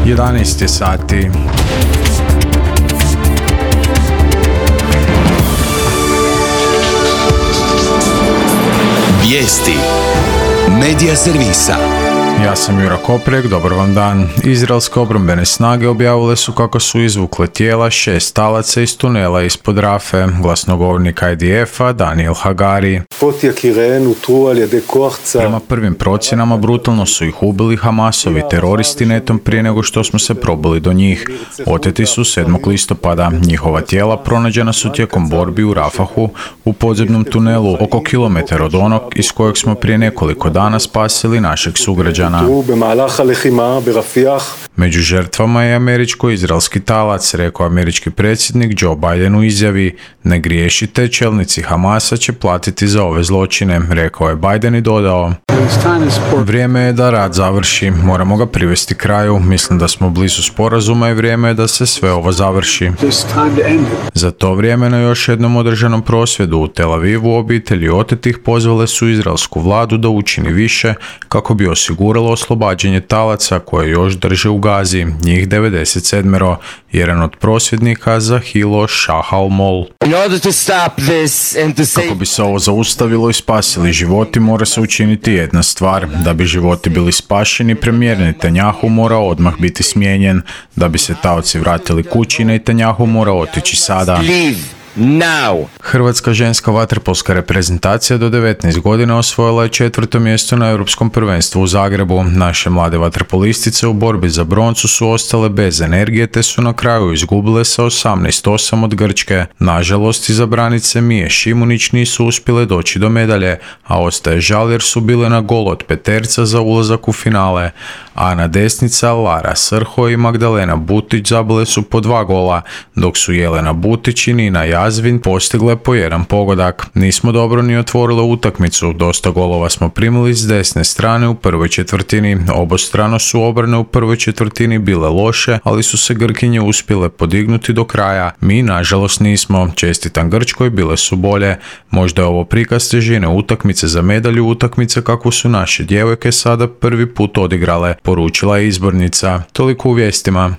11 je sati. Vijesti Medija servisa. Ja sam Jura Koprek, dobar vam dan. Izraelske obrambene snage objavile su kako su izvukle tijela 6 talaca iz tunela ispod Rafe, glasnogovornik IDF-a Daniel Hagari. Prema prvim procjenama brutalno su ih ubili Hamasovi teroristi netom prije nego što smo se probili do njih. Oteti su 7. listopada. Njihova tijela pronađena su tijekom borbi u Rafahu u podzemnom tunelu oko kilometar od onog iz kojeg smo prije nekoliko dana spasili našeg sugrađana. Među žrtvama je američko-izraelski talac, rekao američki predsjednik Joe Biden u izjavi. Ne griješite, čelnici Hamasa će platiti za ove zločine, rekao je Biden i dodao. Vrijeme je da rat završi, moramo ga privesti kraju, mislim da smo blizu sporazuma i vrijeme je da se sve ovo završi. Za to vrijeme na još jednom održanom prosvjedu u Tel Avivu obitelji otetih pozvale su izraelsku vladu da učini više kako bi osiguralo oslobađanje talaca koje još drže u Gazi, njih 97, jedan od prosvjednika Zahilo Shahalmol. Kako bi se ovo zaustavilo i spasili životi, mora se učiniti jedna stvar. Da bi životi bili spašeni, premijer Netanjahu mora odmah biti smijenjen. Da bi se taoci vratili kući, Netanjahu mora otići sada. Now. Hrvatska ženska vaterpolska reprezentacija do 19 godina osvojila je 4. mjesto na Europskom prvenstvu u Zagrebu. Naše mlade vaterpolistice u borbi za broncu su ostale bez energije te su na kraju izgubile sa 18-8 od Grčke. Nažalost, izabranice Mije Šimunić nisu uspjele doći do medalje, a ostaje žal jer su bile na gol od peterca za ulazak u finale. Ana Desnica, Lara Srho i Magdalena Butić zabile su po 2 gola, dok su Jelena Butić i Nina Jazvin postigle po 1 pogodak. Nismo dobro ni otvorile utakmicu, dosta golova smo primili s desne strane u prvoj četvrtini. Obostrano su obrane u prvoj četvrtini bile loše, ali su se Grkinje uspjele podignuti do kraja. Mi, nažalost, nismo. Čestitam Grčkoj, bile su bolje. Možda je ovo prikaz težine utakmice za medalju, utakmice kakvu su naše djevojke sada prvi put odigrale, poručila je izbornica. Toliko u vijestima.